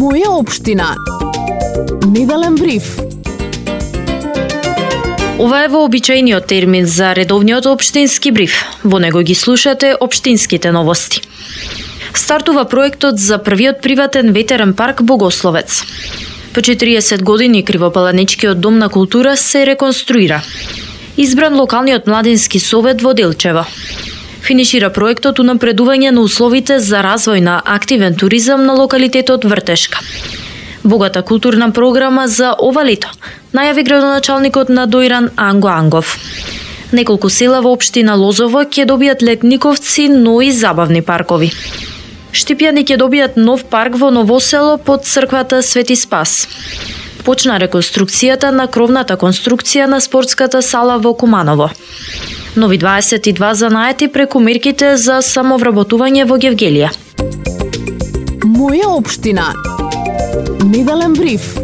Моја општина. Неделен бриф. Ова е вообичаениот термин за редовниот општински бриф. Во него ги слушате општинските новости. Стартува проектот за првиот приватен ветерен парк Богословец. По 40 години Кривопаланичкиот дом на култура се реконструира. Избран локалниот младински совет во Делчево. Финишира проектот унапредување на условите за развој на активен туризам на локалитетот Вртешка. Богата културна програма за ова лето, најави градоначалникот на Дојран Анго Ангов. Неколку села во општина Лозово ќе добијат летниковци, но и забавни паркови. Штипјани ќе добијат нов парк во Новосело под црквата Свети Спас. Почна реконструкцијата на кровната конструкција на спортската сала во Куманово. Нови 22 занаети преку мерките за самовработување во Гевгелија. Моја општина. Неделен бриф.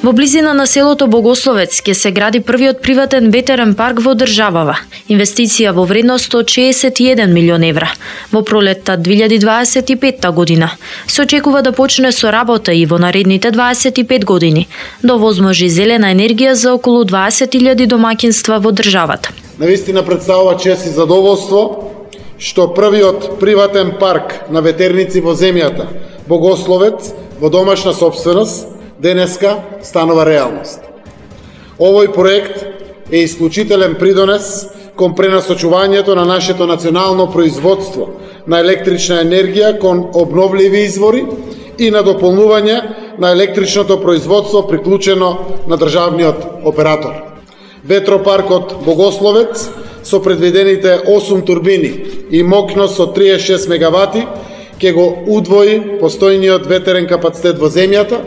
Во близина на селото Богословец ќе се гради првиот приватен ветерен парк во државава. Инвестиција во вредност од 61 милион евра. Во пролетта 2025 година се очекува да почне со работа и во наредните 25 години, да овозможи зелена енергија за околу 20.000 домаќинства во државата. Навистина представува чест и задоволство што првиот приватен парк на ветерници во земјата, Богословец, во домашна сопственост, денеска станува реалност. Овој проект е исклучителен придонес кон пренасочувањето на нашето национално производство на електрична енергија кон обновливи извори и на дополнување на електричното производство приклучено на државниот оператор. Ветропаркот Богословец со предвидените 8 турбини и мокност од 36 мегавати ќе го удвои постојниот ветерен капацитет во земјата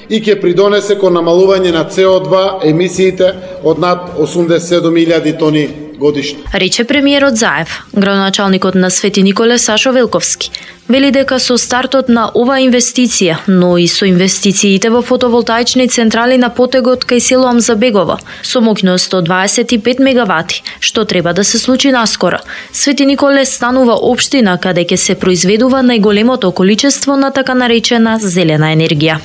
и ќе придонесе кон намалување на CO2 емисиите од над 87.000 тони годишно. Рече премиерот Заев. Градоначалникот на Свети Николе Сашо Велковски вели дека со стартот на ова инвестиција, но и со инвестициите во фотоволтаични централи на потегот кај село Амзабегово, со моќност од 25 мегавати, што треба да се случи наскоро, Свети Николе станува општина каде ќе се произведува најголемото количество на така наречена зелена енергија.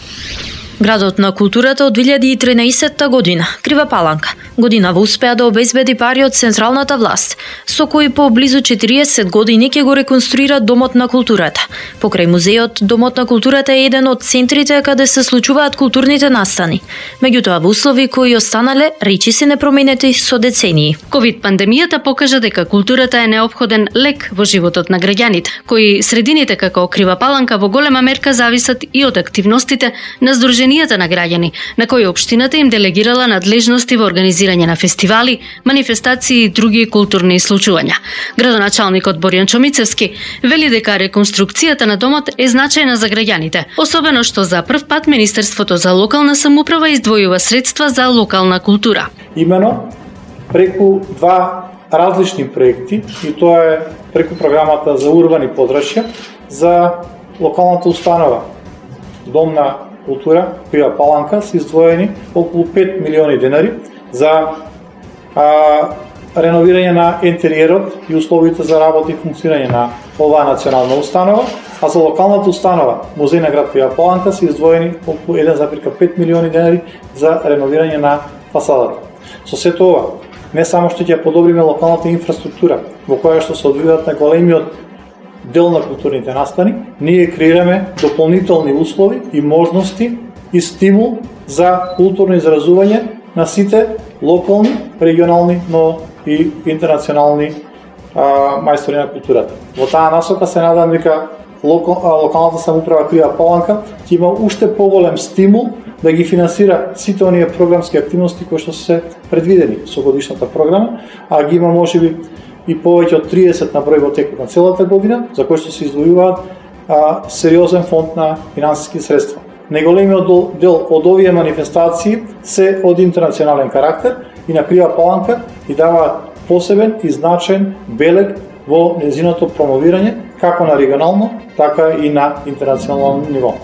Градот на културата од 2013 година, Крива Паланка, годинава успеа да обезбеди пари од централната власт, со кои по близу 40 години ќе го реконструира Домот на културата. Покрај музеот, Домот на културата е еден од центрите каде се случуваат културните настани. Меѓутоа, во услови кои останале речиси непроменети со децении. Ковид пандемијата покажа дека културата е неопходен лек во животот на граѓаните, кои средините како Крива Паланка во голема мерка зависат и од активностите на здруженијата на граѓани, на кои општината им делегирала надлежности во организирање на фестивали, манифестации и други културни случувања. Градоначалникот Боријан Чомицевски вели дека реконструкцијата на домот е значајна за граѓаните, особено што за прв пат Министерството за локална самоуправа издвојува средства за локална култура. Имено преку два различни проекти, и тоа е преку програмата за урбани подрачја за локалната установа Дом на култура, Крива Паланка, се издвоени околу 5 милиони денари за реновирање на интериерот и условите за работа и функционирање на оваа национална установа, а за локалната установа Музеј на град Крива Паланка се издвоени околу 1,5 милиони денари за реновирање на фасадата. Со сето ова, не само што ќе подобриме локалната инфраструктура, во која што се одвиваат на големиот дел на културните настани, ние креираме дополнителни услови и можности и стимул за културно изразување на сите локални, регионални, но и интернационални мајстори на културата. Во таа насока се надам дека локалната самоуправа Крива Паланка ќе има уште поголем стимул да ги финансира сите оние програмски активности кои што се предвидени со годишната програма, а ги има можеби и повеќе од 30 на број во текот на целата година, за кои што се издвојуваат сериозен фонд на финансиски средства. Најголемиот дел од овие манифестации се од интернационален карактер и на Крива Паланка и даваат посебен и значаен белег во нејзиното промовирање, како на регионално, така и на интернационално ниво.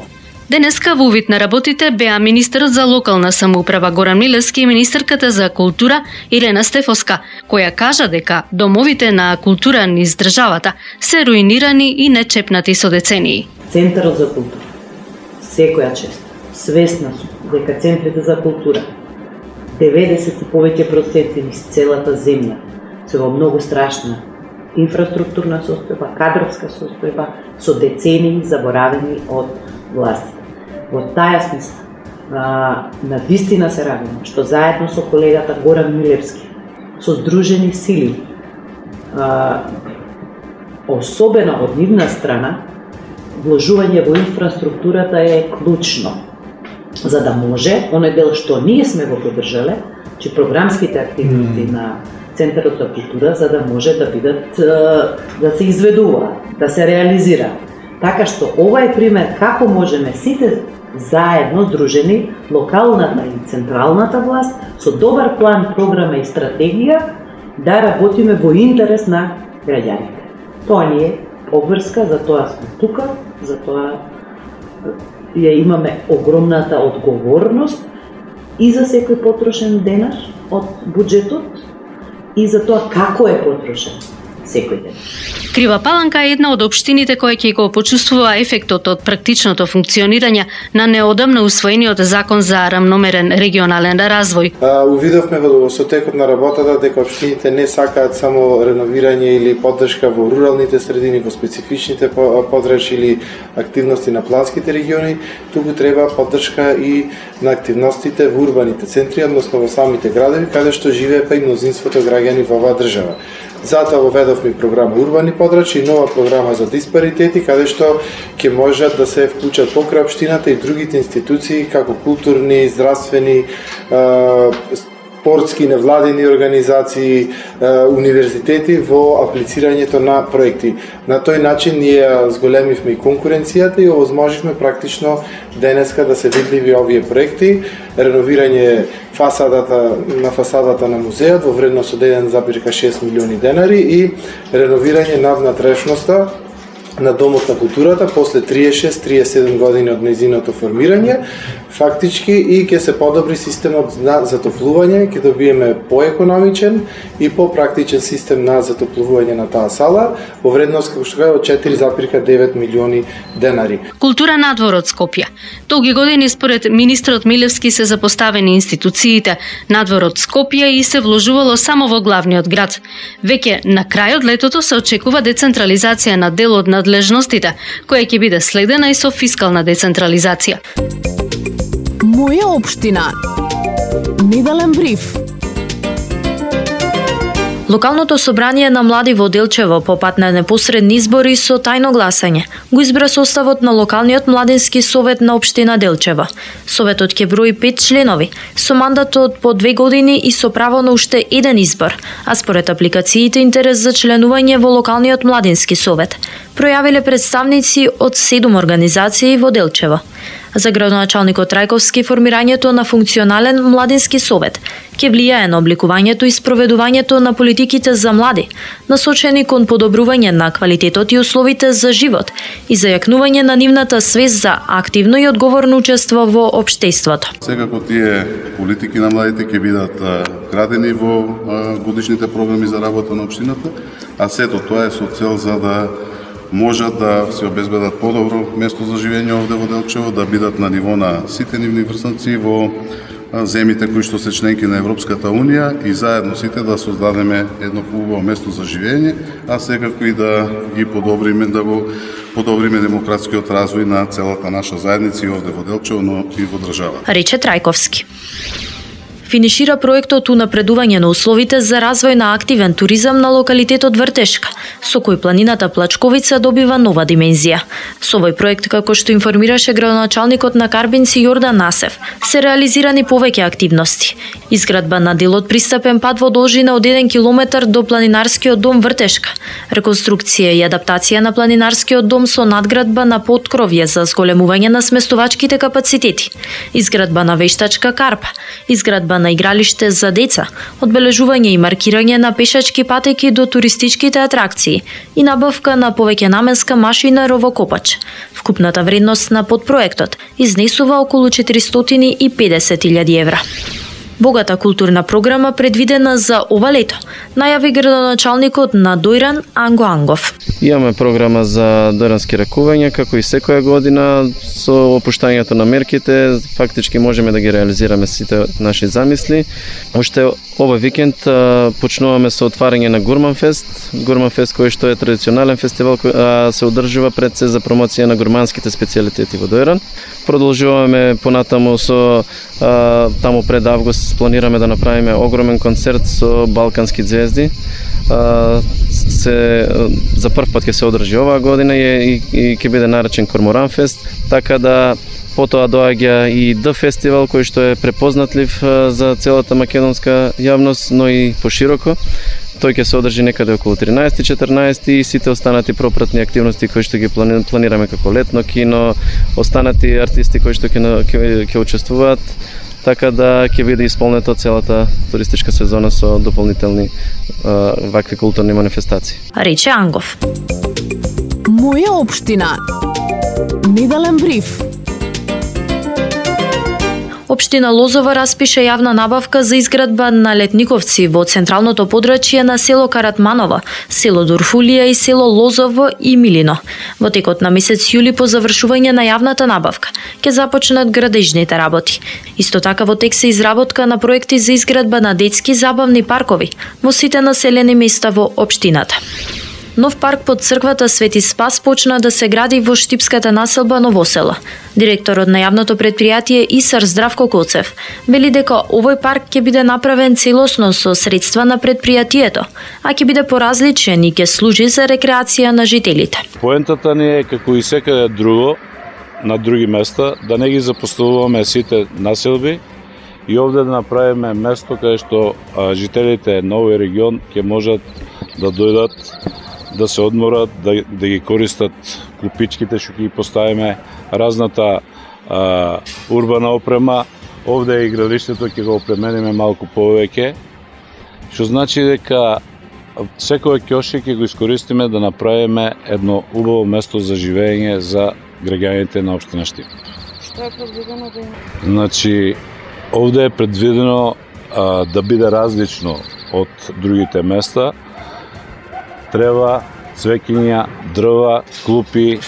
Денеска во увид на работите беа министерот за локална самоуправа Горан Милевски и министерката за култура Ирена Стефоска, која кажа дека домовите на култура низ државата се руинирани и нечепнати со децении. Центарот за култура секоја чест свесна сум дека центрите за култура 90 и повеќе проценти низ целата земја се во многу страшна инфраструктурна состојба, кадровска состојба, со децении заборавени од властите. Во таа смисла, на вистина се радувам што заедно со колегата Горан Милевски, со Сдружени сили, особено од нивна страна, вложување во инфраструктурата е клучно, за да може, оној дел што ние сме го поддржале, че програмските активности на Центарот за култура, за да може да бидат, да се изведуваат, да се реализираат. Така што ова е пример како можеме сите заедно здружени, локалната и централната власт, со добар план, програма и стратегија, да работиме во интерес на граѓаните. Тоа ни е обврска, за тоа сме тука, за тоа ја имаме огромната одговорност и за секој потрошен денар од буџетот и за тоа како е потрошен секој ден. Крива Паланка е една од општините која ќе го почувствува ефектот од практичното функционирање на неодамно усвоениот закон за рамномерен регионален развој. Увидовме во сотекот на работата дека општините не сакаат само реновирање или поддршка во руралните средини, во специфичните подрачи или активности на планските региони, туку треба поддршка и на активностите во урбаните центри, односно во самите градови, каде што живеат и мнозинството граѓани во оваа држава. Затоа воведовме програма Урбани подрачи и нова програма за диспаритети, каде што ќе можат да се вклучат покрај општината и другите институции, како културни, здравствени, спортски, невладени организации, универзитети во аплицирањето на проекти. На тој начин ние зголемивме и конкуренцијата и овозможивме практично денеска да се видливи овие проекти, реновирање фасадата на музеот во вредност од 1,6 милиони денари и реновирање на внатрешноста на Домот на културата после 36-37 години од нејзиното формирање, фактички и ќе се подобри системот на затоплување, ќе добиеме поекономичен и попрактичен систем на затоплување на таа сала во вредност како што кажа од 4,9 милиони денари. Култура надвор од Скопје. Долги години според министрот Милевски се запоставени институциите надвор од Скопје и се вложувало само во главниот град. Веќе на крајот летото се очекува децентрализација на дел од надлежностите, која ќе биде следена и со фискална децентрализација. Моја општина. Неделен бриф. Локалното собрание на млади во Делчево по пат на непосредни избори со тајно гласање го избра составот на локалниот младински совет на општина Делчево. Советот ќе брои 5 членови со мандат од по 2 години и со право на уште еден избор, а според апликациите интерес за членување во локалниот младински совет пројавиле представници од 7 организации во Делчево. За градоначалникот Трајковски формирањето на функционален младински совет ќе влијае на обликувањето и спроведувањето на политиките за млади, насочени кон подобрување на квалитетот и условите за живот и зајакнување на нивната свест за активно и одговорно учество во општеството. Секако тие политики на младите ќе бидат градени во годишните програми за работа на општината, а сето тоа е со цел за да можат да се обезбедат подобро место за живење овде во Делчево, да бидат на ниво на сите нивни врсници во земите кои што се членки на Европската Унија и заедно сите да создадеме едно поубаво место за живење, а секако и да ги подобриме, да го подобриме демократскиот развој на целата наша заедница и овде во Делчево, но и во држава. Рече Трајковски. Финишира проектот унапредување на условите за развој на активен туризам на локалитетот Вртешка, со кој планината Плачковица добива нова димензија. Со овој проект, како што информираше градоначалникот на Карбинци Јордан Насев, се реализирани повеќе активности. Изградба на дел од пристапен пат во должина од 1 километар до планинарскиот дом Вртешка, реконструкција и адаптација на планинарскиот дом со надградба на поткровје за зголемување на сместувачките капацитети, изградба на вештачка карпа, изградба на игралиште за деца, одбележување и маркирање на пешачки патеки до туристичките атракции и набавка на повеќе наменска машина ровокопач. Вкупната вредност на подпроектот изнесува околу 450.000 евра. Богата културна програма предвидена за ова лето, најави градоначалникот на Дојран Анго Ангов. Имаме програма за дојрански ракувања, како и секоја година, со опуштањето на мерките, фактички можеме да ги реализираме сите наши замисли. Уште овој викенд почнуваме со отварање на Гурманфест, кој што е традиционален фестивал кој се одржува пред се за промоција на гурманските специјалитети во Дојран. Продолжуваме понатаму со таму пред август планираме да направиме огромен концерт со балкански звезди. За прв пат ќе се одржи оваа година и ќе биде наречен Корморан фест, така да потоа доаѓа и Д фестивал кој што е препознатлив за целата македонска јавност, но и пошироко. Тој ќе се одржи некаде околу 13-14 и сите останати пропратни активности кои што ги планираме како летно кино, останати артисти кои што ќе учествуваат, така да ќе биде исполнета целата туристичка сезона со дополнителни вакви културни манифестации. Рече Ангов. Моја општина. Неделен бриф. Општина Лозова распише јавна набавка за изградба на летниковци во централното подрачје на село Каратманово, село Дурфулија и село Лозово и Милино. Во текот на месец јули по завршување на јавната набавка ќе започнат градежните работи. Исто така во тек се изработка на проекти за изградба на детски забавни паркови во сите населени места во општината. Нов парк под црквата Свети Спас почна да се гради во штипската населба Новосело. Директорот на јавното предпријатие ИСАР Здравко Коцев вели дека овој парк ќе биде направен целосно со средства на предпријатието, а ќе биде поразличен и ќе служи за рекреација на жителите. Поентата ни е како и секаде друго на други места да не ги запоставуваме сите населби и овде да направиме место каде што жителите на овој регион ќе можат да дојдат, да се одморат, да ги користат клупичките што ги поставиме, разната урбана опрема. Овде и игралиштето ќе го опремениме малку повеќе, што значи дека секој ќошик ќе го искористиме да направиме едно убаво место за живење за граѓаните на општина Штип. Што е предвидено да има? Значи, овде е предвидено да биде различно од другите места. Трева, цвеќиња, дрва, клупи,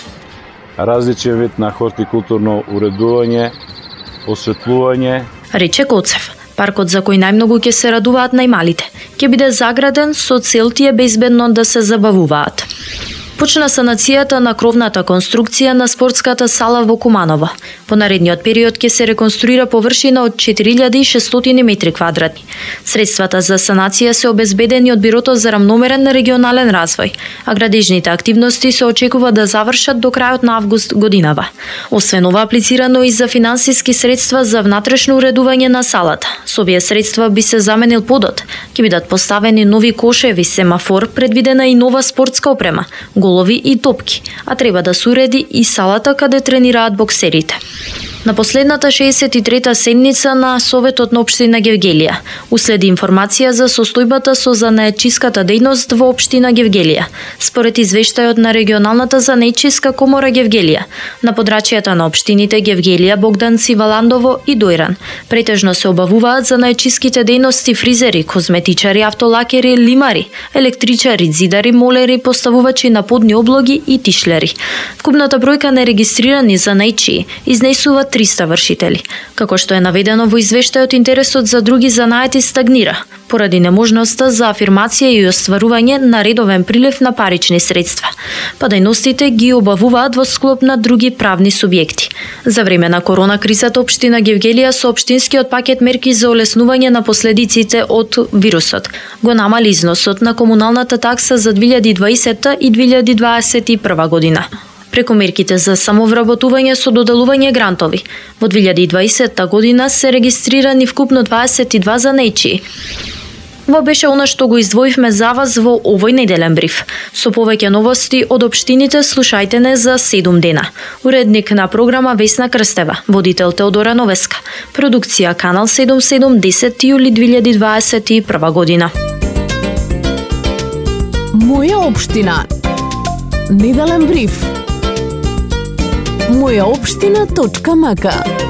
различен вид на хортикултурно уредување, осветлување. Рече Коцев. Паркот за кој најмногу ќе се радуваат најмалите ќе биде заграден со цел тие безбедно да се забавуваат. Почна санацијата на кровната конструкција на спортската сала во Куманово. По наредниот период ќе се реконструира површина од 4600 метри квадратни. Средствата за санација се обезбедени од Бирото за рамномерен регионален развој, а градежните активности се очекува да завршат до крајот на август годинава. Освен ова, аплицирано и за финансиски средства за внатрешно уредување на салата. Со овие средства би се заменил подот, ќе бидат поставени нови кошеви, семафор, предвидена и нова спортска опрема, голови и топки, а треба да се уреди и салата каде тренираат боксерите. На последната 63-та седница на Советот на општина Гевгелија уследи информација за состојбата со занаетчиската дејност во општина Гевгелија. Според извештајот на регионалната занаетчиска комора Гевгелија, на подрачјата на општините Гевгелија, Богданци, Валандово и Дојран претежно се обавуваат занаетчиските дејности фризери, козметичари, автолакери, лимари, електричари, зидари, молери, поставувачи на подни облоги и тишлери. Вкупната бројка на регистрирани занаетчии изнесува 300 вршители. Како што е наведено во извештајот, интересот за други занаети стагнира, поради неможноста за афирмација и остварување на редовен прилив на парични средства. Па дејностите ги обавуваат во склоп на други правни субјекти. За време на корона кризата, општина Гевгелија со општинскиот пакет мерки за олеснување на последиците од вирусот го намали износот на комуналната такса за 2020 и 2021 година. Преку мерките за самовработување со доделување грантови, во 2020 година се регистрирани вкупно 22 занаетчии. Ова беше она што го издвоивме за вас во овој неделен бриф. Со повеќе новости од општините слушајте не за 7 дена. Уредник на програма Весна Крстева, водител Теодора Новеска. Продукција Канал 77, 10 јули 2021 година. Моја општина. Неделен бриф. Мојаопштина.мк